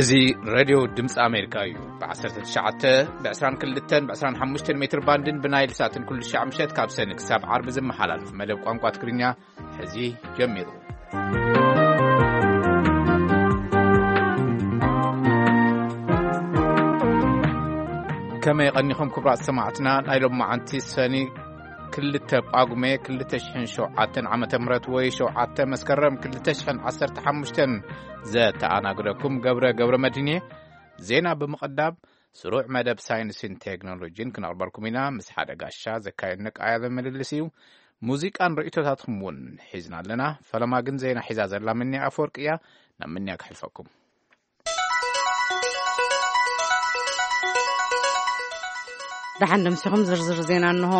እዚ ሬድዮ ድምፂ ኣሜሪካ እዩ። ብ19፣ ብ22፣ ብ25 ሜትር ባንድን ብናይል ሳትን ኩሉ ሻዕ ምሸት ካብ ሰኒ ክሳብ ዓርቢ ዝመሓላለፍ መደብ ቋንቋ ትግርኛ ሕዚ ጀሚሩ። ከመይ ቀኒኹም ክቡራት ሰማዕትና? ናይ ሎም መዓንቲ ሰኒ 2 ጳጉሜ 2007 ዓመተ ምህረት ወይ 7 መስከረም 2015 ዘተኣናግደኩም ገብረ ገብረ መድህን እየ። ዜና ብምቕዳም ስሩዕ መደብ ሳይንስን ቴክኖሎጂን ክነቕርበልኩም ኢና። ምስ ሓደ ጋሻ ዘካየድነ ቃለ ምልልስ እዩ። ሙዚቃን ርእይቶታትኩም እውን ሒዝና ኣለና። ፈለማ ግን ዜና ሒዛ ዘላ ምንያ ኣፈወርቂ እያ። ናብ ምንያ ክሕልፈኩም። ደሓን ደምሲኹም ዝርዝር ዜና እንሆ።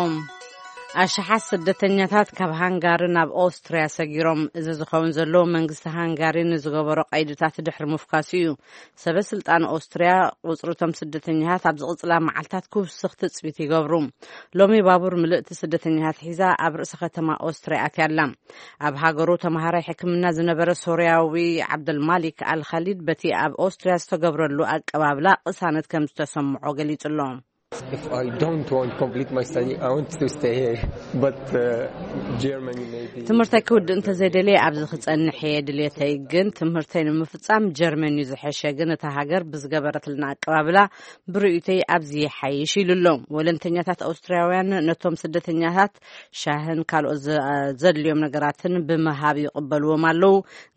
ኣሽሓት ስደተኛታት ካብ ሃንጋሪ ናብ ኦስትርያ ሰጊሮም። እዚ ዝኸውን ዘሎ መንግስቲ ሃንጋሪ ንዝገበሮ ቀይድታት ድሕሪ ምፍካሱ እዩ። ሰበ ስልጣን ኦስትርያ ቁጽሪ እቶም ስደተኛታት ኣብ ዝቕጽላ መዓልታት ክውስኽ ትጽቢት ይገብሩ። ሎሚ ባቡር ምልእቲ ስደተኛታት ሒዛ ኣብ ርእሲ ከተማ ኦስትርያ ኣትያ ኣላ። ኣብ ሃገሩ ተማሃራይ ሕክምና ዝነበረ ሶርያዊ ዓብደልማሊክ ኣልኻሊድ በቲ ኣብ ኦስትርያ ዝተገብረሉ ኣቀባብላ ቅሳነት ከም ዝተሰምዖ ገሊጹ ኣሎ። If I don't want to complete my study, I want to stay here. But uh, Germany maybe. ትምህርተይ ክውድእ እንተዘይደልየ ኣብዚ ክጸንሕ እየ ድልየተይ፣ ግን ትምህርተይ ንምፍጻም ጀርመን እዩ ዝሐሸ። ግን እታ ሃገር ብዝገበረትልና ኣቀባብላ ብርእይቶይ ኣብዚ ይሓይሽ ኢሉ ኣሎ። ወለንተኛታት ኣውስትርያውያን ነቶም ስደተኛታት ሻህን ካልኦት ዘ- ዘድልዮም ነገራትን ብምሃብ ይቕበልዎም ኣለዉ።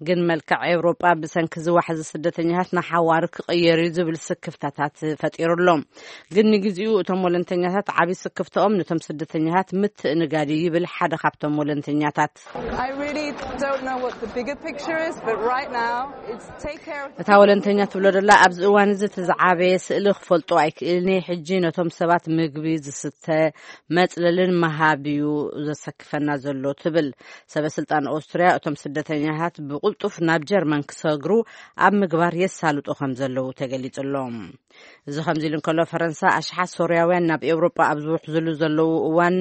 ግን መልክዕ ኤውሮጳ ብሰንኪ ዝዋሕዚ ስደተኛታት ንሓዋሩ ክቕየር እዩ ዝብል ስክፍታታት ፈጢሩ ኣሎ። ግን ንግዜኡ እቶም ወለንተኛታት ዓብዪ ስክፍታኦም ነቶም ስደተኛታት ምትእንጋድ እዩ ይብል ሓደ ካብቶም ወለንተኛታት። I really don't know what the bigger picture is, but right now it's take care of እታ ወለንተኛ ትብሎ ደላ ኣብዚ እዋን እዚ እቲ ዝዓበየ ስእሊ ክፈልጦ ኣይክእልን እየ። ሕጂ ነቶም ሰባት ምግቢ፣ ዝስተ፣ መጽለልን ምሃብ እዩ ዘሰክፈና ዘሎ ትብል። ሰበ ስልጣን ኦስትርያ እቶም ስደተኛታት ብቕልጡፍ ናብ ጀርመን ክሰግሩ ኣብ ምግባር የሳልጡ ከም ዘለዉ ተገሊጹ ኣሎ። እዚ ከምዚ ኢሉ እንከሎ ፈረንሳ ኣሽሓት ሶርያውያን ናብ ኤውሮጳ ኣብ ዝውሕዝሉ ዘለዉ እዋን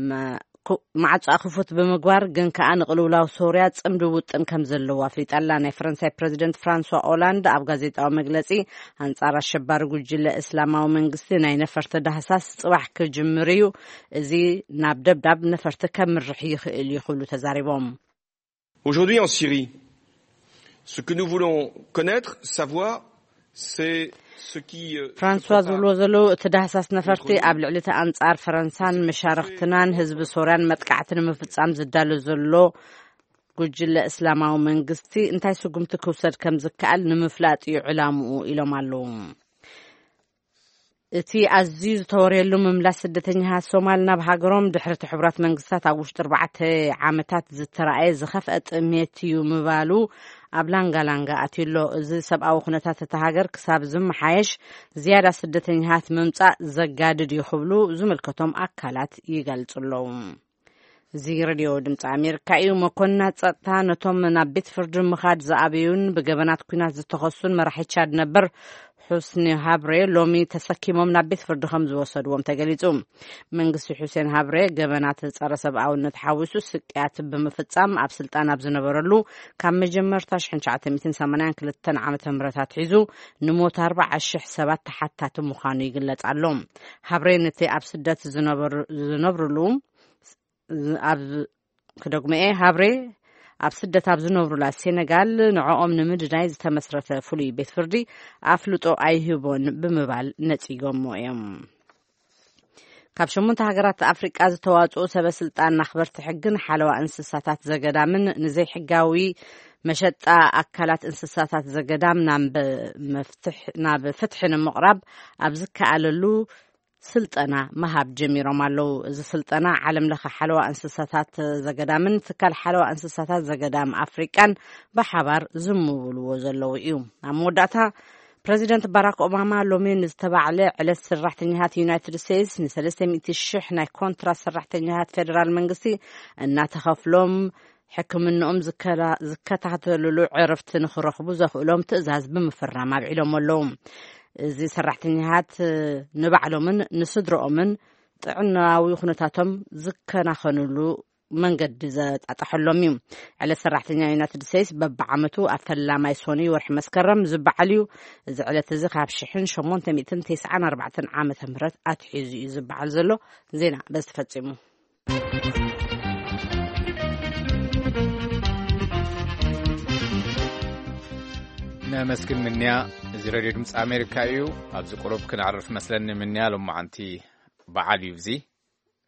መ- ኩ- ማዕጾኣ ክፉት ብምግባር ግን ከኣ ንቅልውላው ሶርያ ጽምዲ ውጥን ከም ዘለዎ ኣፍሊጣ ኣላ። ናይ ፈረንሳይ ፕረዚደንት ፍራንሷ ኦላንድ ኣብ ጋዜጣዊ መግለጺ ኣንጻር ኣሸባሪ ጉጅለ እስላማዊ መንግስቲ ናይ ነፈርቲ ዳህሳስ ጽባሕ ክጅምር እዩ። እዚ ናብ ደብዳብ ነፈርቲ ከምርሕ ይኽእል እዩ ክብሉ ተዛሪቦም። Aujourd'hui en Syrie, ce que nous voulons connaître, savoir, c'est ce qui euh, se ፍራንሷ prépare. ዝብልዎ ዘለዉ እቲ ዳህሳስ ነፈርቲ ኣብ ልዕሊ እቲ ኣንጻር ፈረንሳን መሻርኽትናን ህዝቢ ሶርያን መጥቃዕቲ ንምፍጻም ዝዳሎ ዘሎ ጉጅለ እስላማዊ መንግስቲ እንታይ ስጉምቲ ክውሰድ ከም ዝከኣል ንምፍላጥ እዩ ዕላምኡ ኢሎም ኣለዉ። እቲ ኣዝዩ ዝተወርየሉ ምምላስ ስደተኛታት ሶማል ናብ ሃገሮም ድሕሪ እቲ ሕቡራት መንግስታት ኣብ ውሽጢ ኣርባዕተ ዓመታት ዝተረኣየ ዝኸፍአ ጥሜት እዩ ምባሉ ኣብ ላንጋላንጋ ኣትዩ ኣሎ። እዚ ሰብኣዊ ኩነታት እታ ሃገር ክሳብ ዝመሓየሽ ዝያዳ ስደተኛታት ምምጻእ ዘጋድድ እዩ ክብሉ ዝምልከቶም ኣካላት ይገልጹ ኣለዉ። እዚ ሬድዮ ድምፂ ኣሜሪካ እዩ። መኮንናት ጸጥታ ነቶም ናብ ቤት ፍርዲ ምኻድ ዝኣበዩን ብገበናት ኲናት ዝተኸሱን መራሒ ቻድ ነበር ሑስኒ ሃብሬ ሎሚ ተሰኪሞም ናብ ቤት ፍርዲ ከም ዝወሰድዎም ተገሊጹ። መንግስቲ ሑሴን ሃብሬ ገበናት ጸረ ሰብኣውነት ሓዊሱ ስቅያት ብምፍጻም ኣብ ስልጣን ኣብ ዝነበረሉ ካብ መጀመርታ ሽሕን ትሽዓተ ሚእትን ሰማንያን ክልተን ዓመተ ምህረት ኣትሒዙ ንሞት ኣርባዓ ሽሕ ሰባት ተሓታቲ ምዃኑ ይግለጽ ኣሎ። ሃብሬ ነቲ ኣብ ስደት ዝነብር- ዝነብርሉ ኣብ ክደግመኤ ሃብሬ ኣብ ስደት ኣብ ዝነብሩላ ሴነጋል ንዕኦም ንምድናይ ዝተመስረተ ፍሉይ ቤት ፍርዲ ኣፍልጦ ኣይህቦን ብምባል ነጺጎሞ እዮም። ካብ ሸሞንተ ሃገራት ኣፍሪቃ ዝተዋጽኡ ሰበ ስልጣን ኣኽበርቲ ሕግን ሓለዋ እንስሳታት ዘገዳምን ንዘይሕጋዊ መሸጣ ኣካላት እንስሳታት ዘገዳም ናብ መፍትሕ- ናብ ፍትሒ ንምቕራብ ኣብ ዝከኣለሉ ስልጠና ምሃብ ጀሚሮም ኣለዉ። እዚ ስልጠና ዓለም ለኸ ሓለዋ እንስሳታት ዘገዳምን ትካል ሓለዋ እንስሳታት ዘገዳም ኣፍሪቃን ብሓባር ዝምውልዎ ዘለዉ እዩ። ኣብ መወዳእታ ፕረዚደንት ባራክ ኦባማ ሎሚ ንዝተባዕለ ዕለት ሰራሕተኛታት ዩናይትድ ስቴትስ ን300,000 ናይ ኮንትራት ሰራሕተኛታት ፌደራል መንግስቲ እናተኸፍሎም ሕክምንኦም ዝከላ-፣ ዝከታተልሉ ዕረፍቲ ንኽረኽቡ ዘኽእሎም ትእዛዝ ብምፍራም ኣብዒሎም ኣለዉ። እዚ ሰራሕተኛታት ንባዕሎምን ንስድርኦምን ጥዕናዊ ኩነታቶም ዝከናኸንሉ መንገዲ ዘጣጠሐሎም እዩ። ዕለት ሰራሕተኛ ዩናይትድ ስቴትስ በብዓመቱ ኣብ ፈላማይ ሰኑይ ወርሒ መስከረም ዝበዓል እዩ። እዚ ዕለት እዚ ካብ ሽሕን ሸሞንተ ሚእትን ተስዓን ኣርባዕተን ዓመተ ምህረት ኣትሒዙ እዩ ዝበዓል ዘሎ። ዜና በዚ ተፈጺሙ። ነመስግን ምንያ። እዚ ሬድዮ ድምፂ ኣሜሪካ እዩ። ኣብዚ ቁሩብ ክነዕርፍ መስለኒ ምንያ። ሎማዓንቲ በዓል እዩ እዚ።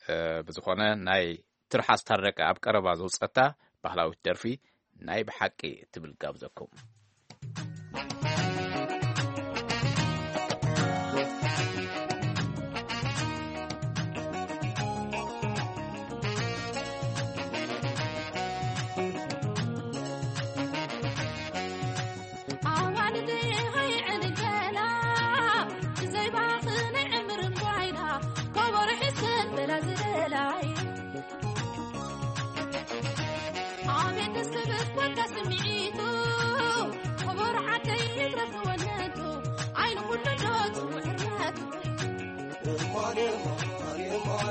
እ፣ ብዝኾነ ናይ ትርሓስ ታረቀ ኣብ ቀረባ ዘውፀታ ባህላዊት ደርፊ ናይ ብሓቂ እትብል ጋብዘኩም። ኣዋልደይ ሃይዕድገላ ብዘይ ባኽነ ዕምርን ጓይላ ከበሮ ሒዝክን በላ ዝደላይ። ኣቤት ደስ ክብል ወካ ስምዒቱ፣ ክቡር ዓደይ ይትረፍ ወለቱ፣ ዓይኒ ኩሉ ዶ ጽውዕ ሕርመቱ። እማኔ፣ እማኔ፣ እማኔ፣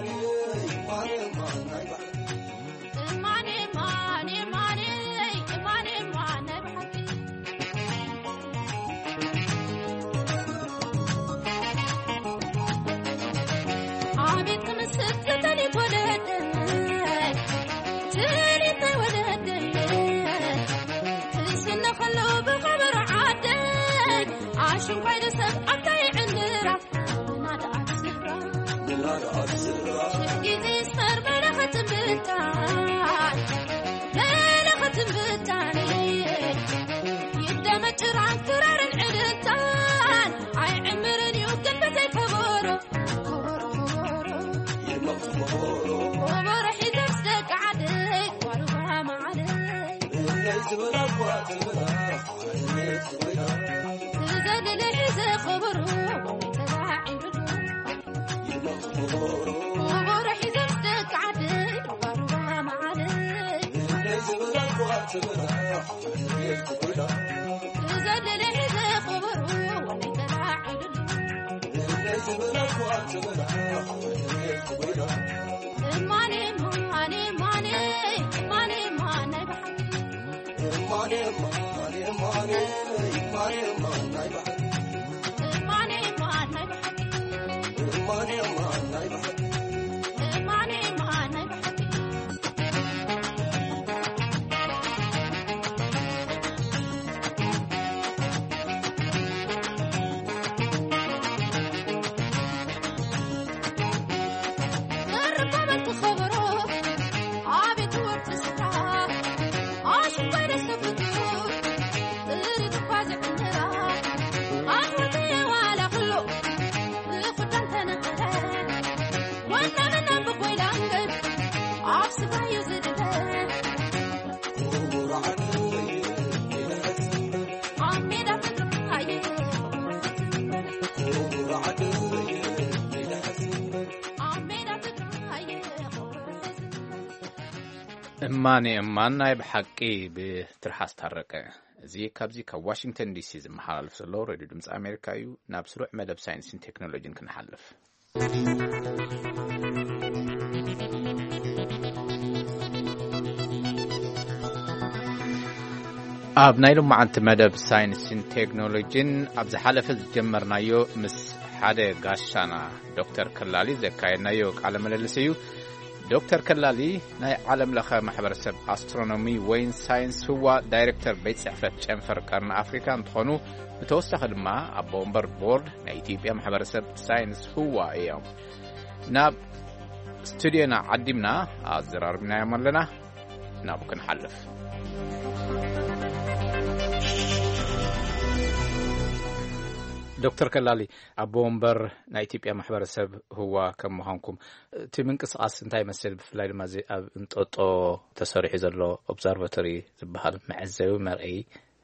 እማኔ፣ እማኔ፣ እማኔ፣ እማኔ፣ እማኔ፣ እማኔ፣ ብሓቂ። ኣቤት ክምስጥ ተሊት ወለደይ፣ ተሊት ናይ ወለደይ። ትስነ ከሎ ብኸበሮ ዓደይ፣ ኣሽንኳይ ደሰብ ኣብታይ ዕንድራ። ግዜ ስተር መለኸትን ብታን፣ መለኸትን ብታን፣ ይደመጭ ጭራን ክራርን ዕልልታን፣ ኣይዕምርን እዩ ግን ብዘይ ከበሮ። ከበሮ፣ ከበሮ፣ ከበሮ ሒዘ ምስ ደቂ ዓደይ፣ ጓል ጓማ ዓደይ። ትዘልለ ሒዘ ከበሮ፣ ተላዒሉ። እማን እማን ናይ ብሓቂ ብትርሓስ ታረቀ። እዚ ካብዚ ካብ ዋሽንግተን ዲሲ ዝመሓላለፍ ዘሎ ሬድዮ ድምፂ ኣሜሪካ እዩ። ናብ ስሩዕ መደብ ሳይንስን ቴክኖሎጂን ክንሓልፍ። ኣብ ናይ ሎማዓንቲ መደብ ሳይንስን ቴክኖሎጂን ኣብ ዝሓለፈ ዝጀመርናዮ ምስ ሓደ ጋሻና ዶክተር ከላሊ ዘካየድናዮ ቃለ ምልልስ እዩ። ዶክተር ከላሊ ናይ ዓለም ለኸ ማሕበረሰብ ኣስትሮኖሚ ወይን ሳይንስ ህዋ ዳይሬክተር ቤት ጽሕፈት ጨንፈር ቀርኒ ኣፍሪካ እንትኾኑ፣ ብተወሳኺ ድማ ኣቦ ወንበር ቦርድ ናይ ኢትዮጵያ ማሕበረሰብ ሳይንስ ህዋ እዮም። ናብ ስቱድዮና ዓዲምና ኣዘራርብናዮም ኣለና። ናብኡ ክንሓልፍ። ዶክተር ከላሊ፣ ኣቦ ወንበር ናይ ኢትዮጵያ ማሕበረሰብ ህዋ ከም ምዃንኩም፣ እቲ ምንቅስቓስ እንታይ ይመስል? ብፍላይ ድማ እዚ ኣብ እንጦጦ ተሰሪሑ ዘሎ ኦብዘርቫቶሪ ዝበሃል መዐዘቢ መርኣዪ፣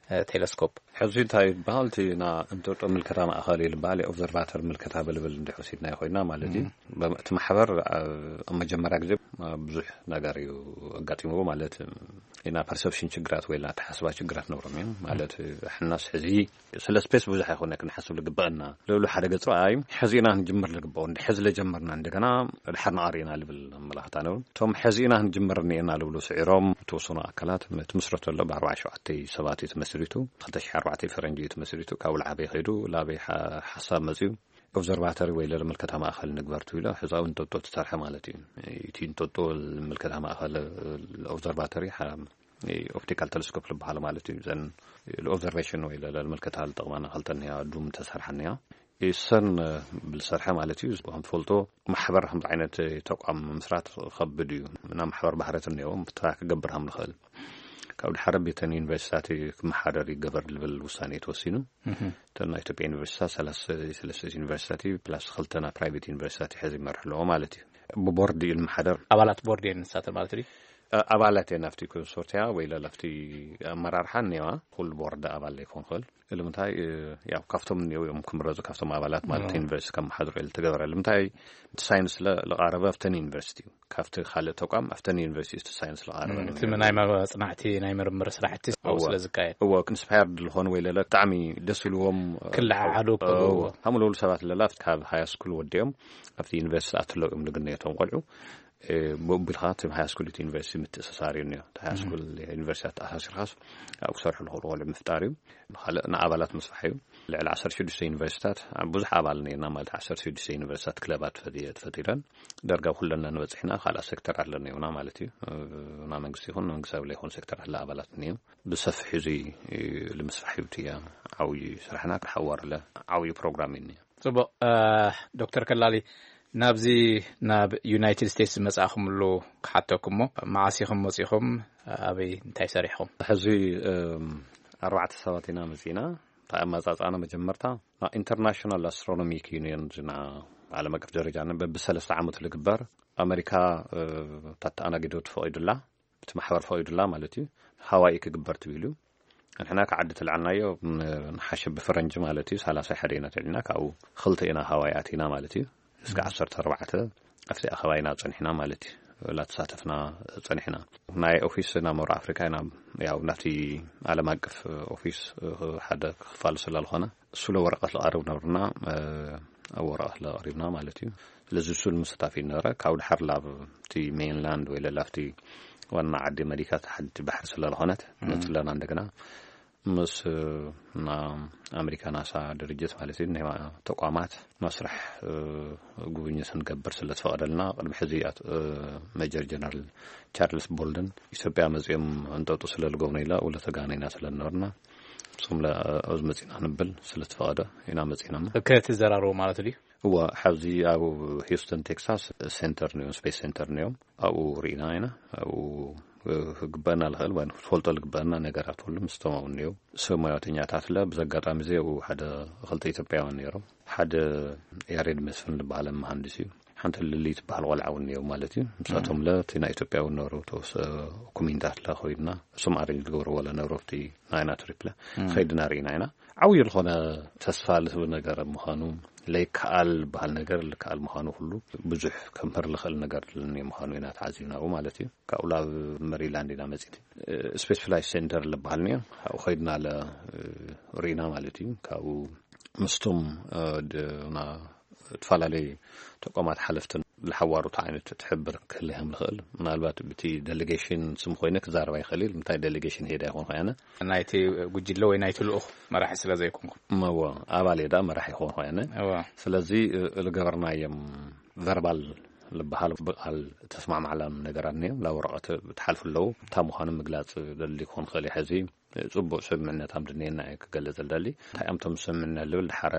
እ፣ ቴሌስኮፕ። ሕዚ እንታይ ይበሃል? እቲ ና እንጦጦ ምልከታ ማእኸል እዩ ዝበሃል፣ ኦብዘርቫተር ምልከታ ብልብል እንድሕር ወሲድናዮ ኮይና ማለት እዩ። እም። በ-፣ እቲ ማሕበር ኣብ፣ ኣብ መጀመርያ ግዜ ብዙሕ ነገር እዩ ኣጋጢምዎ። ማለት ኢና ፐርሰፕሽን ችግራት ወይ ኣተሓስባ ችግራት ነብሮም እዮም። ማለት ሕናስ ሕዚ ስለ ስፔስ ብዙሕ ኣይኮነ ክንሓስብ ልግበአና። ልብሉ ሓደ ገጽ ረኣይ ሕዚ ኢና ክንጅምር ልግበኦ፣ እንዲ ሕዚ ለጀመርና እንደገና ድሓር ንቐር ኢና ልብል ኣመላኽታ ነብሩ። እቶም ሕዚ ኢና ክንጅምር እኒኤና ልብሉ ስዒሮም ተወሰኑ ኣካላት እቲ ምስረቶ ኣሎ ብኣርባዓ ሸውዓተ ሰባት እዩ ተመስሪቱ። ክልተ ሽሕ ኣርባዕተ ፈረንጂ እዩ ተመስሪቱ። ካብ ላዓበይ ከይዱ ላበይ ሓሳብ መፅዩ ኦብዘርቫተሪ ወይ ለለ ምልከታ ማእኸል ንግበር ትብሎ። ሕዛዊ እንጠጦ ትሰርሐ ማለት እዩ። እቲ እንጠጦ ምልከታ ማእኸል ኦብዘርቫተሪ ኦፕቲካል ቴሌስኮፕ ዝበሃል ማለት እዩ። ዘን ኦብዘርቬሽን ወይ ለለ ምልከታ ልጠቕማና ክልተ እኒያ ዱም ተሰርሐ እኒያ። እሰን ብልሰርሐ ማለት እዩ። ከም ትፈልጦ ማሕበር ከምዚ ዓይነት ተቋም ምስራት ከብድ እዩ። እና ማሕበር ባህረት እኒኦ እንታይ ክገብር ከም ንኽእል ካብ ድሓረ ቤተን ዩኒቨርሲታት ክመሓደር ይገበር ልብል ውሳኔ ተወሲኑ። እተን ናይ ኢትዮጵያ ዩኒቨርሲታት ሰለስተ ዩኒቨርሲታት ፕላስ ክልተና ፕራይቬት ዩኒቨርሲታት ሕዚ ይመርሕ ኣለዎ ማለት እዩ። ብቦርድ እዩ ዝመሓደር። ኣባላት ቦርድ እየን ንሳተን ማለት ድዩ? ኣባላት እየን ኣብቲ ኮንሶርቲያ ወይ ለለፍቲ ኣመራርሓ እኒዋ ኩሉ ቦርድ ኣባል ዘይኮን ክእል። ልምንታይ ያው ካብቶም እኒው እዮም ክምረፁ ካብቶም ኣባላት ማለት ዩኒቨርሲቲ ካብ መሓድሮ ኢሉ ተገበረ። ልምንታይ እቲ ሳይንስ ለቃረበ ኣብተን ዩኒቨርሲቲ እዩ። ካብቲ ካልእ ተቋም ኣብተን ዩኒቨርሲቲ እቲ ሳይንስ ለቃረበ እቲ ናይ መፅናዕቲ ናይ ምርምር ስራሕቲ ስለ ዝካየድ እዎ ኢንስፓየርድ ዝኾኑ ወይ ለለ ብጣዕሚ ደስ ኢልዎም ክለዓዓዱ ከለዉ እዎ። ከምኡ ለብሉ ሰባት ለላ ካብ ሃያ ስኩል ወዲኦም ኣብቲ ዩኒቨርሲቲ ኣትለው እዮም ልግነየቶም ቆልዑ ብኡቢልካ እቲ ሃያ ስኩል እቲ ዩኒቨርሲቲ ምትእስሳር እዩ እኒኦ። እቲ ሃያ ስኩል ዩኒቨርሲቲ ኣተኣሳሲርካስ ኣብኡ ክሰርሑ ዝኽእሉ ቆልዑ ምፍጣር እዩ። ካልእ ንኣባላት ምስራሕ እዩ። ልዕሊ ዓሰርተ ሽዱሽተ ዩኒቨርሲታት ብዙሕ ኣባል ነና ማለት ዓሰርተ ሽዱሽተ ዩኒቨርሲታት ክለባት ተፈጢረን ደርጋ ኩለና ንበፅሕና ካልኣ ሴክተር ኣለና ይብና ማለት እዩ። ና መንግስቲ ይኹን መንግስታዊ ለይኮን ሴክተር ኣለ ኣባላት እኒኦ። ብሰፊሕ እዚ ልምስራሕ እዩ እቲ ዓብዪ ስራሕና ክሓዋርለ ዓብዪ ፕሮግራም እዩ እኒኦ። ጽቡቕ። ዶክተር ከላሊ ናብዚ ናብ ዩናይትድ ስቴትስ ዝመጻእኹምሉ ክሓተኩም እሞ መዓስ ኢኹም መጺኹም ኣበይ እንታይ ሰሪሕኹም? ሕዚ ኣርባዕተ ሰባት ኢና መጺና። እንታይ ኣመጻጽኣና መጀመርታ ናብ ኢንተርናሽናል ኣስትሮኖሚክ ዩኒየን ዝና ዓለም ኣቀፍ ደረጃ በብሰለስተ ዓመቱ ዝግበር ኣመሪካ ታተኣናጊዶ ትፈቒዱላ እቲ ማሕበር ፈቒዱላ ማለት እዩ። ሃዋይ ክግበር ትብል እዩ። ንሕና ካብ ዓዲ ተልዓልናዮ ንሓሸ ብፈረንጂ ማለት እዩ ሰላሳ ሓደ ኢና ተልዕልና ካብኡ ክልተ ኢና ሃዋይ ኣቲና ማለት እዩ። እስከ ዓሰርተ ኣርባዕተ ኣብቲ ኣኸባ ኢና ፀኒሕና ማለት እዩ። ላተሳተፍና ፀኒሕና ናይ ኦፊስ ናብ መብራቅ ኣፍሪካ ኢና ያው ናብቲ ዓለም ኣቀፍ ኦፊስ ሓደ ክፋል ስለ ዝኾነ እሱ ለወረቀት ልቐርብ ነብርና ኣብ ወረቀት ለቀሪብና ማለት እዩ። ስለዚ እሱ ንምስታፍ እዩ ነበረ ካብ ድሓር ላብ እቲ ሜንላንድ ወይ ለላፍቲ ዋና ዓዲ መዲካ ተሓድቲ ባሕሪ ስለዝኾነት መፅለና እንደገና ምስ ና ኣሜሪካ ናሳ ድርጅት ማለት እዩ ናይ ተቋማት መስራሕ ጉብኝት ንገብር ስለዝፈቐደልና ቅድሚ ሕዚ ሜጀር ጀነራል ቻርልስ ቦልደን ኢትዮጵያ መፅኦም እንጠጡ ስለዝገብኑ ኢላ ውለተ ጋና ኢና ስለዝነበርና እሶም ኣብዚ መፂና ክንብል ስለዝፈቐደ ኢና መፂና። ክትዘራረቡ ማለት ድዩ? እዋ ሓዚ ኣብ ሂውስተን ቴክሳስ ሴንተር ንዮም ስፔስ ሴንተር ንዮም ኣብኡ ርኢና ኢና። ኣብኡ ክግበአና ዝኽእል ወይ ክትፈልጦ ዝግበአና ነገራት ኩሉ ምስቶም ኣብኡ እኒው ሰብ ሞያተኛታት ለ ብዘጋጣሚ እዚ ኣብኡ ሓደ ክልተ ኢትዮጵያውያን ነይሮም። ሓደ ያሬድ መስፍን ዝበሃለ መሃንድስ እዩ። ሓንቲ ልሊ ትበሃል ቆልዓ እውን እኒው ማለት እዩ። ንሳቶም ለ እቲ ናይ ኢትዮጵያዊ ነሩ ተወሰ ኩሚንታት ለ ኮይድና እሶም ኣሬንጅ ዝገብርዎ ለ ነሩ ኣብቲ ናይና ትሪፕ ለ ከይድና ርኢና ኢና። ዓብዪ ዝኾነ ተስፋ ልህብ ነገር ምዃኑ ለይከኣል ዝበሃል ነገር ልከኣል ምዃኑ ኩሉ ብዙሕ ከምህር ልኽእል ነገር ምዃኑ ኢና ተዓዚብናኡ ማለት እዩ። ካብኡ ላብ መሪላንድ ኢና መፂት ስፔስ ፍላይ ሴንተር ዝበሃል ኒዮ ካብኡ ከይድና ለ ርኢና ማለት እዩ። ካብኡ ምስቶም ና ዝተፈላለዩ ተቋማት ሓለፍትን ዝሓዋሩት ዓይነት ትሕብር ክህልዮም ንኽእል ምናልባት ብቲ ዴሌጌሽን ስም ኮይነ ክዛረባ ይኽእል እዩ። እንታይ ዴሌጌሽን ሄዳ ይኾን ኮይነ ናይቲ ጉጅለ ወይ ናይቲ ልኡኽ መራሒ ስለ ዘይኮንኩ እመዎ ኣባል እየ ዳ መራሒ ይኾን ኮይነ እዋ ስለዚ ዝገበርናዮም ቨርባል ዝበሃል ብቃል ተስማማዕላም ነገራት እኒኦም ናብ ወረቐት ብትሓልፉ ኣለዉ። እንታይ ምዃኑ ምግላፅ ደሊ ክኾን ክእል እዩ። ሕዚ ፅቡቅ ስምምዕነት ኣም ድንየና እየ ክገልፅ ዝደሊ እንታይ ኣምቶም ስምምዕነት ልብል ድሓረ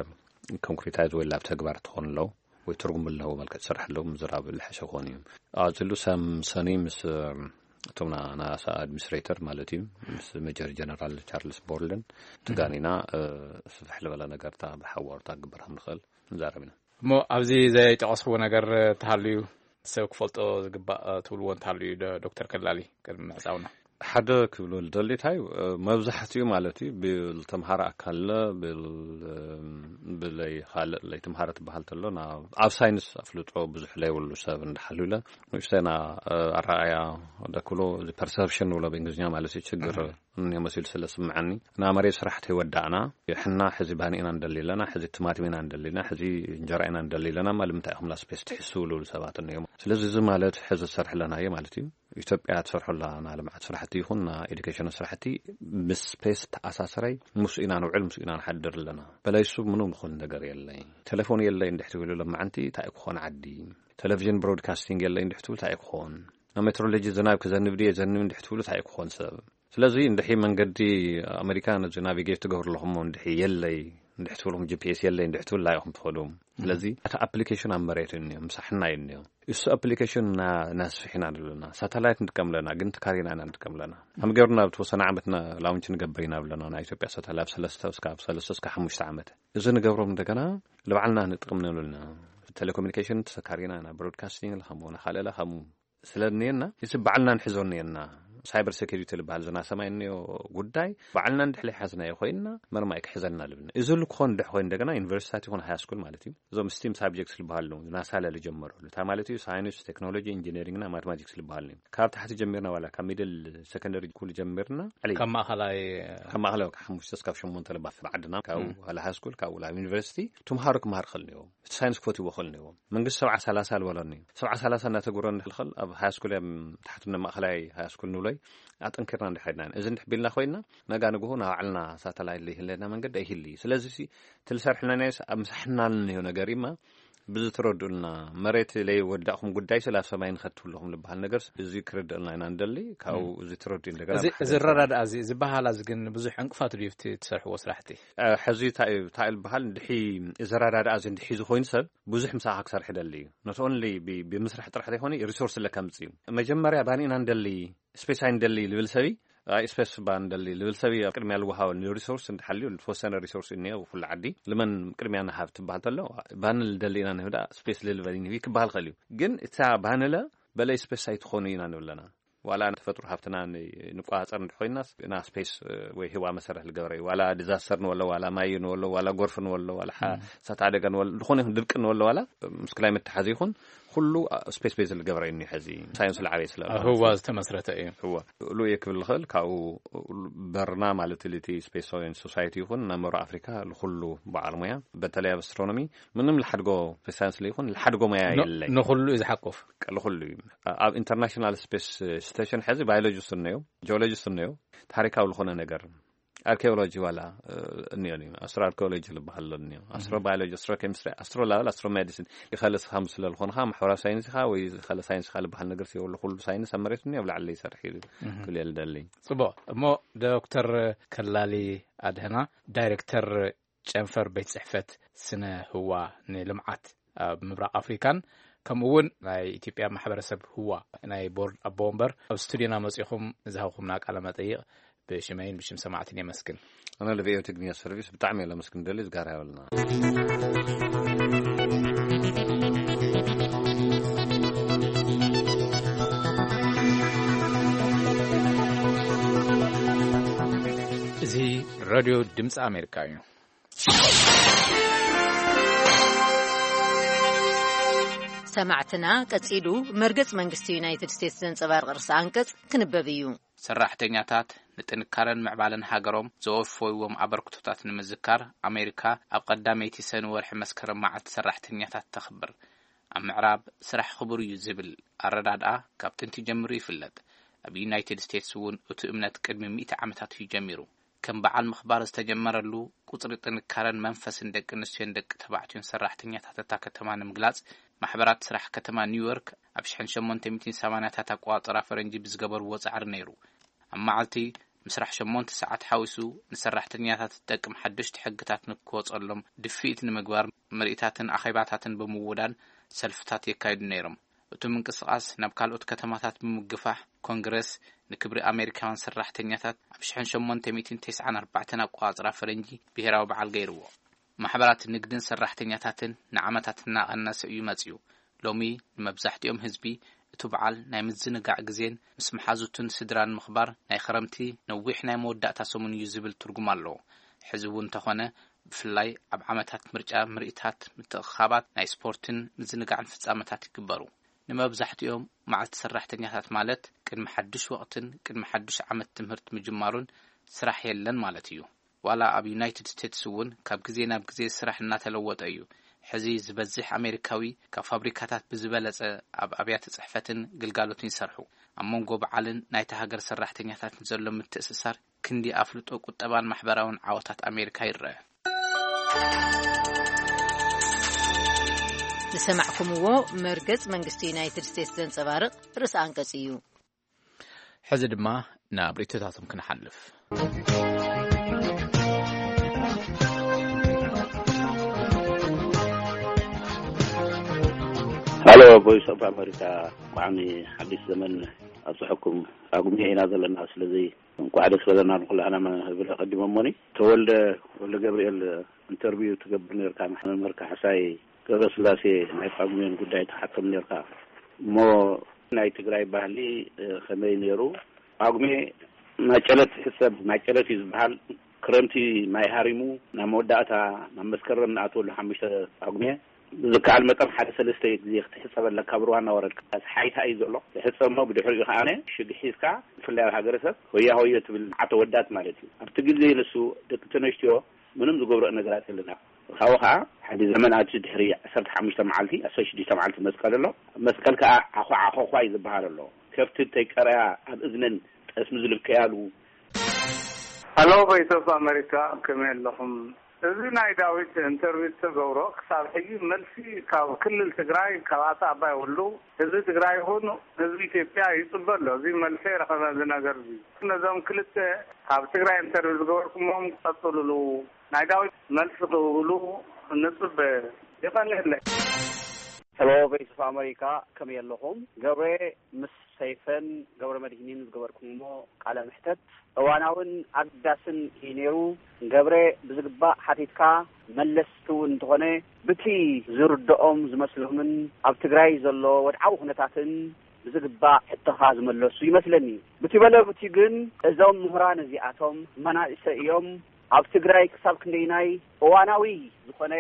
ኮንክሪታይዝ ወይ ላብ ተግባር ትኾን ኣለዉ ወይ ትርጉም ኣለዎ መልክዕ ትሰርሕ ኣለዉ ምዝራብ ልሐሸ ክኾን እዩ። ኣፅሉ ሰም ሰኒ ምስ እቶም ናሳ ኣድሚኒስትሬተር ማለት እዩ ምስ ሜጀር ጀነራል ቻርልስ ቦርልን ትጋኒና ስፍሕ ዝበለ ነገርታ ብሓዋሩታ ክግበር ከም ንኽእል ንዛረብ ኢና። እሞ ኣብዚ ዘይጠቐስዎ ነገር ተሃልዩ ሰብ ክፈልጦ ዝግባእ ትብልዎ እንተሃልዩ ዶ ዶክተር ከላሊ ቅድሚ ምዕፃውና? ሓደ ክብሎ ዝደሊ እንታይ እዩ፣ መብዛሕትኡ ማለት እዩ ብተምሃረ ኣካል፣ ብለይ ካልእ ለይ ተምሃረ ትበሃል ተሎ፣ ኣብ ሳይንስ ኣፍልጦ ብዙሕ ለይብሉ ሰብ እንዳሓልለ ንእሽተና ኣረኣያ ደክሎ፣ ፐርሰፕሽን ንብሎ ብእንግሊዝኛ ማለት እዩ፣ ችግር እኒኦ መሲሉ ስለ ስምዐኒ፣ እና መሬት ስራሕ ተይወዳእና፣ ሕና ሕዚ ባኒ ኢና ንደሊ ኣለና፣ ሕዚ ትማቲም ኢና ንደሊ ኣለና፣ ሕዚ እንጀራ ኢና ንደሊ ኣለና፣ ማ ልምንታይ ኢኹም ላ ስፔስ ትሕስቡ ዝብሉ ሰባት እኒኦም። ስለዚ እዚ ማለት ሕዚ ዝሰርሕ ኣለናዮ ማለት እዩ። ኢትዮጵያ ትሰርሖ ኣላ ልምዓት ስራሕቲ ይኹን ና ኤዱኬሽን ስራሕቲ ምስ ስፔስ ተኣሳሰረይ፣ ምስ ኢና ንውዕል፣ ምስ ኢና ንሓድር ኣለና። በላይ እሱ ምንም ዝኾን ነገር የለይ። ቴሌፎን የለይ እንድሕቲ ኢሉ ለማዓንቲ እንታይ ክኾን ዓዲ? ቴሌቪዥን ብሮድካስቲንግ የለይ እንድሕቲ እንታይ ክኾን? ናብ ሜትሮሎጂ ዝናብ ክዘንብ ድየ ዘንብ እንድሕቲ እንታይ ክኾን ሰብ? ስለዚ እንድሒ መንገዲ ኣሜሪካ ነዚ ናቪጌት ትገብሩ ኣለኹም እንድሒ የለይ እንድሕቲ ትብልኩም፣ ጂ ፒ ኤስ የለይ እንድሕቲ ትብል ኢኹም ትኸዱ። ስለዚ እቲ ኣፕሊኬሽን ኣብ መሬት እዩ እኒኦ፣ ምሳሕና እዩ እኒኦ። እሱ ኣፕሊኬሽን ና-፣ ናስፍሕ ኢና ንብለና። ሳተላይት ንጥቀም ኣለና፣ ግን ትካሪና ኢና ንጥቀም ኣለና። ከም ገብርና ብተወሰነ ዓመት ና-፣ ላውንች ንገብር ኢና ብለና፣ ናይ ኢትዮጵያ ሳተላይት ኣብ ሰለስተ እስካብ ሰለስተ እስካብ ሓሙሽተ ዓመት። እዚ ንገብሮም እንደገና ንባዕልና ንጥቅም ንብልና። ቴሌኮሙኒኬሽን ተሰካሪና ኢና፣ ብሮድካስቲንግ ለኸሙ፣ ንኻልእ ለኸሙ። ስለ እኒአና፣ እዚ ባዕልና ንሕዞ እኒአና። ሳይበር ሴኩሪቲ ዝበሃል ዝና ሰማይ እኒኦ ጉዳይ፣ ባዕልና እንድሕር ሓዝናዮ ኮይንና፣ መርማይ ክሕዘና ልብና። እዚ ልኮን ድሕ ኮይኑ እንደገና ዩኒቨርሲታት ይኹን ሃይ ስኩል ማለት እዩ። እዞም ስቲም ሳብጀክትስ ዝበሃሉ፣ ናሳ ለልጀመረሉ። እንታይ ማለት እዩ? ሳይንስ፣ ቴክኖሎጂ፣ ኢንጂነሪንግና ማቴማቲክስ ዝበሃሉ እዩ። ካብ ታሕቲ ጀሚርና ዋላ ካብ ሚድል ሰከንደሪ ስኩል ጀሚርና፣ ዕሊ ካብ ማእኸላይ ካብ ማእኸላይ ካብ ሓሙሽተ እስካብ ሸሞንተ ለባ ብዓድና፣ ካብ ዋላ ሃይ ስኩል፣ ካብ ዋላ ዩኒቨርሲቲ፣ ትምሃሩ ክምሃር ከልንዮ። እቲ ሳይንስ ክፈትዎ ከልንዮ። መንግስቲ ሰብዓ ሰላሳ ዝበለኒ። ሰብዓ ሰላሳ እናተግብሮ ንኽእል ኣብ ሃይ ስኩል እዮም ታሕቲ ማእኸላይ ሃይ ስኩል ንብሎይ ኣጠንኪርና እንድሕር ሄድና። እዚ እንድሕ ቢልና ኮይንና ነጋ ንግሆ ናብ ባዕልና ሳተላይት ዘይህለና መንገዲ ኣይህሊ። ስለዚ ሲ ትልሰርሕልና ናይ ኣብ ምሳሕናል እንዮ ነገር እዩማ ብዚ ትረድኡልና መሬት ለይወዳእኹም ጉዳይ ስለ ኣብ ሰማይ ንኸትብለኹም ዝበሃል ነገር እዚ ክርድእልና ኢና እንደሊ ካብኡ እዚ ትረድኡ እንደገና እዚ ብሓደ እዚ ሰብ ረዳድኣ እዚ ዝበሃል እዚ ግን ብዙሕ ዕንቅፋት ድዩ ኣብቲ ትሰርሕዎ ስራሕቲ? እ፣ ሕዚ እንታይ እዩ እንታይ ዝበሃል እንድሒ እዚ ረዳድኣ እዚ እንድሒ እዚ ኮይኑ ሰብ ብዙሕ ምሳኻ ክሰርሕ ደሊ እዩ። ኖት ኦንሊ ብ-፣ ብምስራሕ ጥራሕ ዘይኮነ ሪሶርስ ለካ ምጽእ እዩ። መጀመርያ ባኒ ኢና እንደሊ፣ ስፔስ ኣይንደሊ ልብል ሰብይ፣ ኣይ ስፔስ ባ ንደሊ ልብል ሰብይ ኣብ ቅድሚያ ልወሃበ ሪሶርስ እንድሓልዩ ዝተወሰነ ሪሶርስ እኒኦ ኩሉ ዓዲ ልመን ቅድሚያ ንሃብ ትበሃል ተሎ ባኒ ልደሊ ኢና ንህብ ደኣ ስፔስ ልልበል ይንህብ ክበሃል ኸእል እዩ። ግን እታ ባንለ በለይ ስፔስ ኣይትኾኑ ኢና ንብለና። ዋላ ተፈጥሮ ሃብትና ን-፣ ንቆጻጸር እንድኾይናስ፣ ና ስፔስ ወይ ህዋ መሰረት ልገብረ እዩ። ዋላ ዲዛስተር ንወሎ፣ ዋላ ማይ ንወሎ፣ ዋላ ጎርፍ ንወሎ፣ ዋላ ሓ-፣ እሳት ኣደጋ ንወሎ፣ ዝኾነ ይኹን ድርቂ ንወሎ፣ ዋላ ምስ ክላይመት ተሓዚ ይኹን፣ ኩሉ ስፔስ ቤዝ ልገብረ እዩ። ሕዚ ሳይንስ ልዓበየ ስለ ኣብ ህዋ ዝተመስረተ እዩ። ህዋ። ሉ እየ ክብል ልኽእል፣ ካብኡ በርና ማለት ልቲ ስፔስ ሶሳይቲ ይኹን፣ ናብ መሮ ኣፍሪካ ልኹሉ በዓል ሙያ፣ በተለይ ኣብ ኣስትሮኖሚ፣ ምንም ልሓድጎ ስፔስ ሳይንስ ልይኹን፣ ልሓድጎ ሙያ ን-፣ የለይ። ንኹሉ እዩ ዝሓቁፍ። ቀ-፣ ልኹሉ እዩ። ኣብ ኢንተርናሽናል ስፔስ ስቴሽን ሕዚ ባዮሎጂስት እነዮ፣ ጂኦሎጂስት እነዮ፣ ታሪካዊ ዝኾነ ነገር፣ ኣርኪኦሎጂ ዋላ፣ እ፣ እኒኦ እዩ። ኣስትሮ ኣርኪኦሎጂ ዝበሃል ኣሎ እኒኦ። ኣስትሮ ባዮሎጂ፣ ኣስትሮ ኬሚስትሪ፣ ኣስትሮ ላበል፣ ኣስትሮ ሜዲሲን። ይኸለስ ከም ስለ ዝኾንኻ፣ ማሕበራዊ ሳይንስ ኢኻ ወይ ዝኸለ ሳይንስ ኢኻ ዝበሃል ነገር የብሉ። ኩሉ ሳይንስ ኣብ መሬት እኒኦ፣ ኣብ ላዕሊ ይሰርሕ እዩ ክብል እየ ልደሊ። ጽቡቕ። እሞ ዶክተር ከላሊ ኣድህና፣ ዳይሬክተር ጨንፈር ቤት ጽሕፈት ስነ ህዋ ንልምዓት ኣብ ምብራቕ ኣፍሪካን ከምኡ እውን ናይ ኢትዮጵያ ማሕበረሰብ ህዋ ናይ ቦርድ ኣቦ ወንበር ኣብ ስቱዲዮና መጺኹም ንዝሃብኩምና ቃለ መጠይቕ ብሽመይን ብሽም ሰማዕትን የመስግን። ኣነ ንቪኦኤ ትግርኛ ሰርቪስ ብጣዕሚ እየ ለመስግን ደሊ ዝጋራ ይበልና። እዚ ሬድዮ ድምፂ ኣሜሪካ እዩ። ሰማዕትና፣ ቀጺሉ መርገጽ መንግስቲ ዩናይትድ ስቴትስ ዘንጸባርቕ ርእሰ ኣንቀጽ ክንበብ እዩ። ሰራሕተኛታት ንጥንካረን ምዕባለን ሃገሮም ዘወፈይዎም ኣበርክቶታት ንምዝካር፣ ኣሜሪካ ኣብ ቀዳመይቲ ሰኒ ወርሒ መስከረም መዓልቲ ሰራሕተኛታት ተኽብር። ኣብ ምዕራብ ስራሕ ክቡር እዩ ዝብል ኣረዳድኣ ካብ ጥንቲ ጀሚሩ ይፍለጥ። ኣብ ዩናይትድ ስቴትስ እውን እቲ እምነት ቅድሚ ሚእቲ ዓመታት እዩ ጀሚሩ። ከም በዓል ምኽባር ዝተጀመረሉ፣ ቁጽሪ ጥንካረን መንፈስን ደቂ ኣንስትዮን ደቂ ተባዕትዮን ሰራሕተኛታት እታ ከተማ ንምግላጽ፣ ማሕበራት ስራሕ ከተማ ኒውዮርክ ኣብ ሽሕን ሸሞንተ ሚእትን ሰማንያታት ኣቆጻጽራ ፈረንጂ ብዝገበርዎ ጻዕሪ ነይሩ። ኣብ መዓልቲ ምስራሕ ሸሞንተ ሰዓት ሓዊሱ ንሰራሕተኛታት ዝጠቅም ሓደሽቲ ሕግታት ንክወጸሎም ድፍኢት ንምግባር ምርኢታትን ኣኼባታትን ብምውዳን ሰልፍታት የካይዱ ነይሮም። እቲ ምንቅስቓስ ናብ ካልኦት ከተማታት ብምግፋሕ፣ ኮንግረስ ንክብሪ ኣሜሪካውያን ሰራሕተኛታት ኣብ ሽሕን ሸሞንተ ሚእትን ተስዓን ኣርባዕተን ኣቆጻጽራ ፈረንጂ ብሄራዊ በዓል ገይርዎ። ማሕበራት ንግድን ሰራሕተኛታትን ንዓመታት እናቐነሰ እዩ መጺኡ። ሎሚ ንመብዛሕትኦም ህዝቢ እቲ በዓል ናይ ምዝንጋዕ ግዜን ምስ መሓዙትን ስድራን ምኽባር ናይ ኸረምቲ ነዊሕ ናይ መወዳእታ ሰሙን እዩ ዝብል ትርጉም ኣለዎ። ሕዚ እውን እንተኾነ ብፍላይ ኣብ ዓመታት ምርጫ ምርኢታት፣ ምትእኽኻባት፣ ናይ ስፖርትን ምዝንጋዕን ፍጻመታት ይግበሩ። ንመብዛሕትኦም መዓልቲ ሰራሕተኛታት ማለት ቅድሚ ሓድሽ ወቕትን ቅድሚ ሓድሽ ዓመት ትምህርት ምጅማሩን ስራሕ የለን ማለት እዩ። ዋላ ኣብ ዩናይትድ ስቴትስ እውን ካብ ግዜ ናብ ግዜ ስራሕ እናተለወጠ እዩ። ሕዚ ዝበዝሕ ኣሜሪካዊ ካብ ፋብሪካታት ብዝበለጸ ኣብ ኣብያተ ጽሕፈትን ግልጋሎትን ይሰርሑ። ኣብ መንጎ በዓልን ናይታ ሃገር ሰራሕተኛታትን ዘሎ ምትእስሳር ክንዲ ኣፍልጦ ቁጠባን ማሕበራውን ዓወታት ኣሜሪካ ይረአ። ዝሰማዕኩምዎ መርገጽ መንግስቲ ዩናይትድ ስቴትስ ዘንጸባርቕ ርእሰ ኣንቀጽ እዩ። ሕዚ ድማ ናብ ርእይቶታቶም ክንሓልፍ። ሃሎ፣ ቮይስ ኦፍ ኣሜሪካ፣ ብጣዕሚ ሓድሽ ዘመን ኣብፅሐኩም። ኣጉሜ ኢና ዘለና፣ ስለዚ እንኳዕ ደስ በለና ንኩላህና መ-፣ እብል ኣቐዲመ። እሞኒ ተወልደ፣ ወልደ ገብርኤል፣ ኢንተርቪው ትገብር ነርካ፣ መምህር ካሕሳይ ገብረስላሴ ናይ ጳጉሜን ጉዳይ ትሓቶም ነርካ። እሞ ናይ ትግራይ ባህሊ፣ እ፣ ከመይ ነይሩ? ጳጉሜ ማጨለት ትሕሰብ፣ ማጨለት እዩ ዝበሃል። ክረምቲ ማይ ሃሪሙ ናብ መወዳእታ ናብ መስከረም ንኣትወሉ ሓሙሽተ ጳጉሜ ብዝከኣል መጠን ሓደ ሰለስተ ግዜ ክትሕጸብ ኣለካ፣ ብሩባ እናወረድካ። ሓይታ እዩ ዘሎ። ትሕጸብ እሞ ብድሕሪኡ ከኣ ሽግ ሒዝካ፣ ብፍላይ ኣብ ሃገረሰብ ሆያ ሆየ ትብል፣ ዓተ ወዳት ማለት እዩ። ኣብቲ ግዜ ንሱ ደቂ ተነስትዮ ምንም ዝገብረኦ ነገራት የለና። ካብኡ ከኣ ሓደ ዘመን ኣቲ ድሕሪ ዓሰርተ ሓሙሽተ መዓልቲ፣ ዓሰርተ ሽዱሽተ መዓልቲ መስቀል ኣሎ። ኣብ መስቀል ከኣ ዓኾ ዓኾዃ እዩ ዝበሃል ኣሎ። ከብቲ እንተይቀረያ ኣብ እዝነን ጠስሚ ዝልከያሉ። ሃሎ፣ ቮይስ ኦፍ ኣሜሪካ፣ ከመይ ኣለኹም? እዚ ናይ ዳዊት ኢንተርቪው ዝተገብሮ ክሳብ ሕጂ መልሲ ካብ ክልል ትግራይ፣ ካብ ኣቶ ኣባይ ወሉ፣ ህዝቢ ትግራይ ይኹን ህዝቢ ኢትዮጵያ ይጽበ ኣሎ። እዚ መልሲ ኣይረኸበ። እዚ ነገር እዚ ነዞም ክልተ ካብ ትግራይ ኢንተርቪው ዝገበርኩሞም ክቐጽሉሉ፣ ናይ ዳዊት መልሲ ክህብሉ ንጽበ። ይቐንየለይ። ሄሎ፣ ቮይስ ኦፍ ኣሜሪካ፣ ከመይ ኣለኹም? ገብረ ምስ ሰይፈን ገብረ መድሂንን ዝገበርኩምዎ ቃለ ምሕተት እዋናውን ኣገዳስን እዩ ነይሩ። ገብረ፣ ብዝግባእ ሓቲትካ፣ መለስቲ እውን እንተኾነ ብቲ ዝርድኦም ዝመስሎምን ኣብ ትግራይ ዘሎ ወድዓዊ ኩነታትን ብዝግባእ ሕቶኻ ዝመለሱ ይመስለኒ። ብቲ በለ ብቲ ግን እዞም ምሁራን እዚኣቶም መናእሰይ እዮም። ኣብ ትግራይ ክሳብ ክንደይናይ እዋናዊ ዝኾነ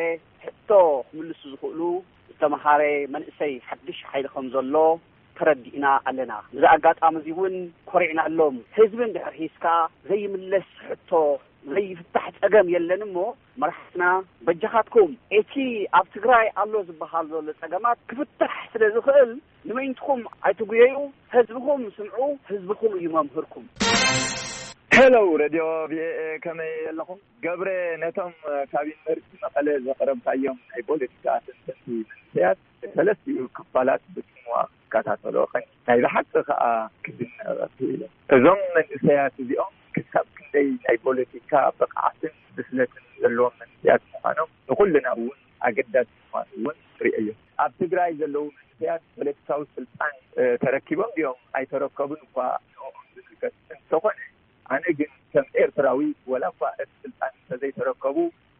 ሕቶ ክምልሱ ዝኽእሉ ዝተምሃረ መንእሰይ ሓድሽ ሓይሊ ከም ዘሎ ተረዲእና ኣለና። ብዚ ኣጋጣሚ እዚ እውን ኮሪዕናሎም። ህዝቢ እንድሕር ሒዝካ ዘይምለስ ሕቶ፣ ዘይፍታሕ ጸገም የለን እሞ መራሕትና በጃኻትኩም እቲ ኣብ ትግራይ ኣሎ ዝበሃል ዘሎ ጸገማት ክፍታሕ ስለ ዝኽእል ንመይንትኹም ኣይትጉየዩ፣ ህዝብኹም ስምዑ፣ ህዝብኹም እዩ መምህርኩም። ሄሎ ሬድዮ ቪኦኤ፣ ከመይ ኣለኹም? ገብረ፣ ነቶም ካብ ዩኒቨርሲቲ መቐለ ዘቕረብካዮም ናይ ፖለቲካ ተንተንቲ መንእሰያት ሰለስቲኡ ክፋላት ብጽምዋ ክከታተሎ ቀኒ። ናይ ብሓቂ ከኣ ክድነቕ ክኢለ። እዞም መንእሰያት እዚኦም ክሳብ ክንደይ ናይ ፖለቲካ ብቕዓትን ብስለትን ዘለዎም መንእሰያት ምዃኖም ንኹልና እውን ኣገዳሲ ምዃኑ እውን ርእየዮ። ኣብ ትግራይ ዘለዉ መንእሰያት ፖለቲካዊ ስልጣን፣ እ፣ ተረኪቦም ድዮም ኣይተረከቡን እኳ ንዕኦም ዝምልከት እንተኾነ፣ ኣነ ግን ከም ኤርትራዊ፣ ወላ እኳ እቲ ስልጣን እንተዘይተረከቡ፣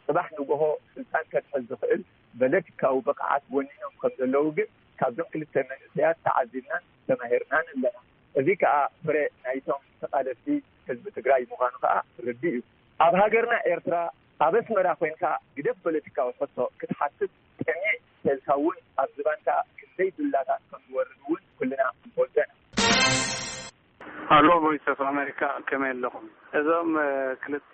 ጽባሕ ንግሆ ስልጣን ከትሕዝ ዝኽእል ፖለቲካዊ ብቕዓት ወኒኖም ከም ዘለዉ ግን ካብዞም ክልተ መንእሰያት ተዓዚብናን ተማሂርናን ኣለና። እዚ ከኣ ፍረ ናይቶም ተቓለስቲ ህዝቢ ትግራይ ምዃኑ ከኣ ርዱእ እዩ። ኣብ ሃገርና ኤርትራ፣ ኣብ ኣስመራ ኮይንካ ግደፍ ፖለቲካዊ ሕቶ ክትሓትት፣ ጥሜዕ ተልካ እውን ኣብ ዝባንካ ክንደይ ዱላታት ከም ዝወርድ እውን ኩልና ንፈልጦ ኢና። ሃሎ፣ ቮይስ ኦፍ ኣሜሪካ፣ ከመይ ኣለኹም? እዞም፣ እ፣ ክልተ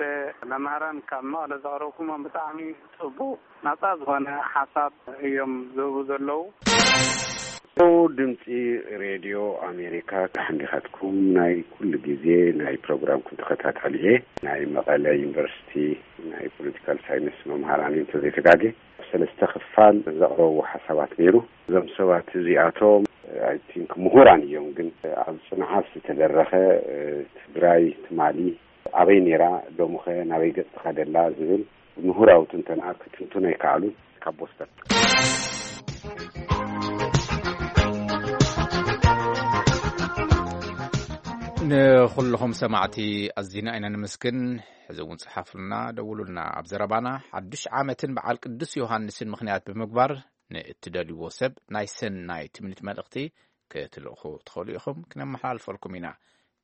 መምህራን ካብ መቐለ ዘቕረብኩሞም ብጣዕሚ ጽቡቕ፣ ናጻ ዝኾነ ሓሳብ እዮም ዝህቡ ዘለዉ። ድምፂ ሬድዮ ኣሜሪካ፣ ሓንዲኻትኩም ናይ ኩሉ ግዜ ናይ ፕሮግራምኩም ተኸታታሊ እየ። ናይ መቐለ ዩኒቨርሲቲ ናይ ፖለቲካል ሳይንስ መምሃራን እየ እንተዘይተጋጌ። ሰለስተ ክፋል ዘቕረብዎ ሓሳባት ነይሩ። እዞም ሰባት እዚኣቶም፣ ኣይ ቲንክ፣ ምሁራን እዮም፣ ግን ኣብ ጽንዓት ዝተደረኸ፣ እ፣ ትግራይ ትማሊ ኣበይ ነይራ፣ ሎምኸ ናበይ ገጽ ትኸደላ ዝብል ምሁራዊ ትንተና ክትንትኖ ኣይከኣሉን። ካብ ቦስተን። ንኹልኹም ሰማዕቲ ኣዚና ኢና ንምስግን። ሕዚ እውን ጽሓፉልና፣ ደውሉልና። ኣብ ዘረባና ሓዱሽ ዓመትን በዓል ቅዱስ ዮሃንስን ምኽንያት ብምግባር ንእትደልይዎ ሰብ ናይ ሰናይ ትምኒት መልእኽቲ ክትልእኹ ትኽእሉ ኢኹም፣ ክነመሓላልፈልኩም ኢና።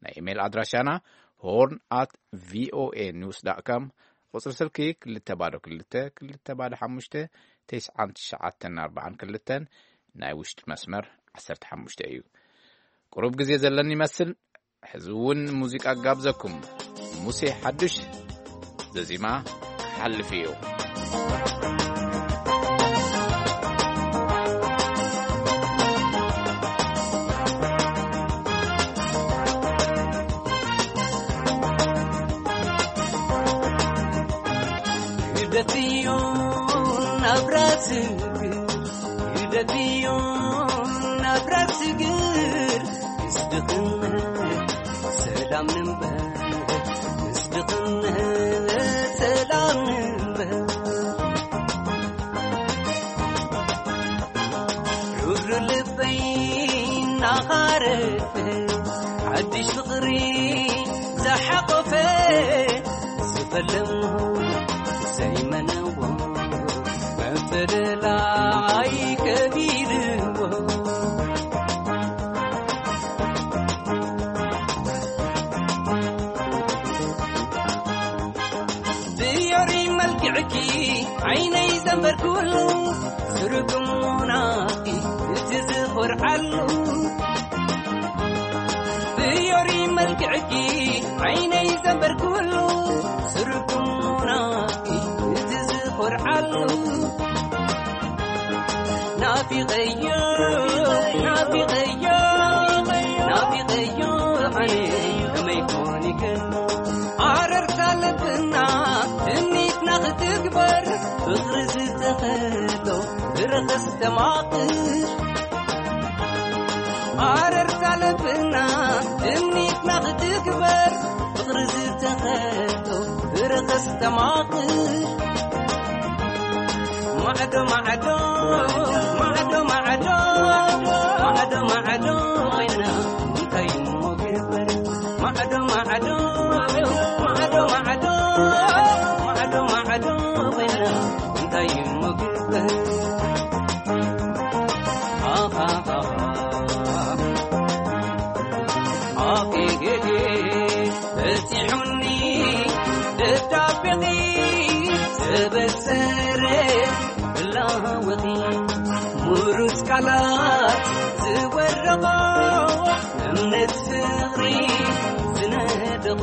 ናይ ኢሜይል ኣድራሻና ሆርን ኣት ቪኦኤ ኒውስ ዳት ኮም፣ ቁጽሪ ስልኪ ክልተ ባዶ ክልተ፣ ክልተ ባዶ ሓሙሽተ፣ ተስዓን ትሽዓተን ኣርባዓን ክልተን፣ ናይ ውሽጢ መስመር ዓሰርተ ሓሙሽተ እዩ። ቁሩብ ግዜ ዘለኒ ይመስል፣ ሕዚ እውን ሙዚቃ ጋብዘኩም። ሙሴ ሓዱሽ ዘዚማ ክሓልፍ እዩ። ልደትዮ ናብራ ስግር፣ ልደትዮ ናብራ ስግር፣ ምስ ድኽነት ሰላም ንንበር፣ ምስ ድኽነት ሰላም ንንበር። ሩሩ ልበይ እናኻረፈ፣ ሓድሽ ፍቕሪ ዝሓቖፈ፣ ዝፈለሞ ዘይመነዎ፣ መብተደላ ኣይከቢድዎ። ብዮሪ መልክዕኪ ዓይነይ ዘንበርኩሉ፣ ስርጉም ናፍቂ እቲ ዝኾርዓሉ። ብዮሪ መልክዕኪ ዓይነይ ዘንበርኩሉ፣ ስርጉም ናፍቂ እቲ ዝኾርዓሉ። ናፊቐዮ፣ ናፊቐዮ፣ ናፊቐዮ፣ ኣነ ከመይ ኮን ይክእል? ኣረርታ ልብና ትምኒትና ክትግበር፣ ፍቕሪ ዝተኸሎ ብረኸስ ተማቕር። ኣረርታ ልብና ትምኒትና ክትግበር፣ ፍቕሪ ዝተኸሎ ብረኸስ ተማቕር። ማዕዶ ማዕዶ፣ ማዕዶ ማዕዶ፣ ማዕዶ ማዕዶ ኮይና እንታይ እሞ ግበር? ማዕዶ ማዕዶ፣ ማዕዶ ማዕዶ፣ ማዕዶ ማዕዶ ኮይና እንታይ እሞ ግበር? ኣሃሃሃ። ኣሃሃሃ። በጺሑኒ ደብዳቤኺ ተበሰረ ብላወኺ፣ ምሩጽ ቃላት ዝወረቖ፣ እምነት ፍቕሪ ዝነደቖ።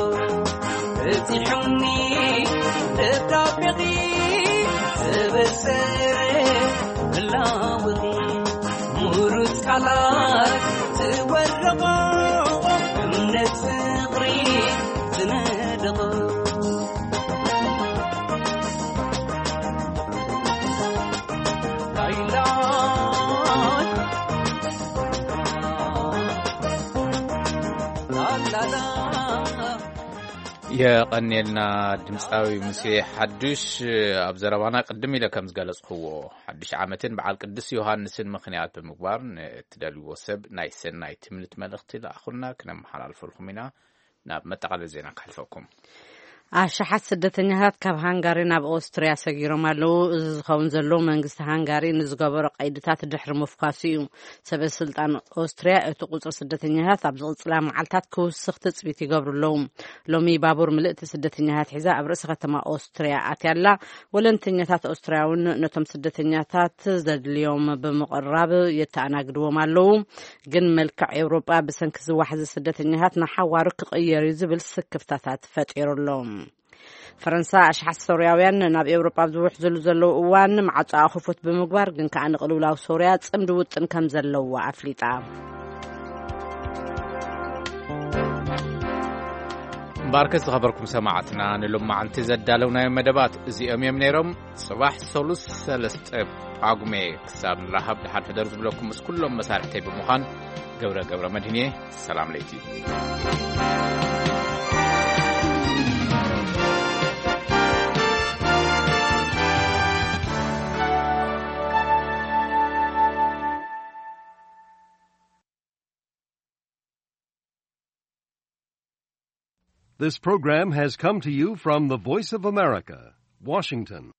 በጺሑኒ ደብዳቤኺ ተበሰረ ብላወኺ፣ ምሩጽ ቃላት ዝወረቖ፣ እምነት ፍቕሪ ዝነደቖ። ላይላይ ላላላ። የቐንየልና ድምፃዊ ሙሴ ሓዱሽ። ኣብ ዘረባና ቅድም ኢለ ከም ዝገለጽክዎ፣ ሓድሽ ዓመትን በዓል ቅዱስ ዮሃንስን ምኽንያት ብምግባር ንእትደልይዎ ሰብ ናይ ሰናይ ትምኒት መልእኽቲ ለኣኹልና፣ ክነመሓላልፈልኩም ኢና። ናብ መጠቓለሊ ዜና ከሕልፈኩም። ኣሽሓት ስደተኛታት ካብ ሃንጋሪ ናብ ኦስትርያ ሰጊሮም ኣለዉ። እዚ ዝኸውን ዘሎ መንግስቲ ሃንጋሪ ንዝገበሮ ቀይድታት ድሕሪ ምፍኳሱ እዩ። ሰበ ስልጣን ኦስትርያ እቲ ቁጽሪ ስደተኛታት ኣብ ዝቕጽላ መዓልታት ክውስኽ ትጽቢት ይገብሩ ኣለዉ። ሎሚ ባቡር ምልእቲ ስደተኛታት ሒዛ ኣብ ርእሲ ከተማ ኦስትርያ ኣትያ ኣላ። ወለንተኛታት ኦስትርያ እውን ነቶም ስደተኛታት ዘድልዮም ብምቕራብ የተኣናግድዎም ኣለዉ። ግን መልክዕ ኤውሮጳ ብሰንኪ ዝዋሕዚ ስደተኛታት ንሓዋሩ ክቕየር እዩ ዝብል ስክፍታታት ፈጢሩ ኣሎ። ፈረንሳ ኣሽሓት ሶርያውያን ናብ ኤውሮጳ ኣብ ዝውሕዝሉ ዘለዉ እዋን ማዕጾኣ ክፉት ብምግባር፣ ግን ከኣ ንቅልውላው ሶርያ ጽምዲ ውጥን ከም ዘለዋ ኣፍሊጣ። እምበኣርከስ ዝኸበርኩም ሰማዕትና፣ ንሎማዓንቲ ዘዳለውናዮም መደባት እዚኦም እዮም ነይሮም። ጽባሕ ሰሉስ ሰለስተ ጳጉሜ ክሳብ ንራኸብ፣ ደሓን ሕደሩ ዝብለኩም ምስ ኩሎም መሳርሕተይ ብምዃን ገብረ ገብረ መድህን እየ። ሰላም ለይቲ። This program has come to you from the Voice of America, Washington.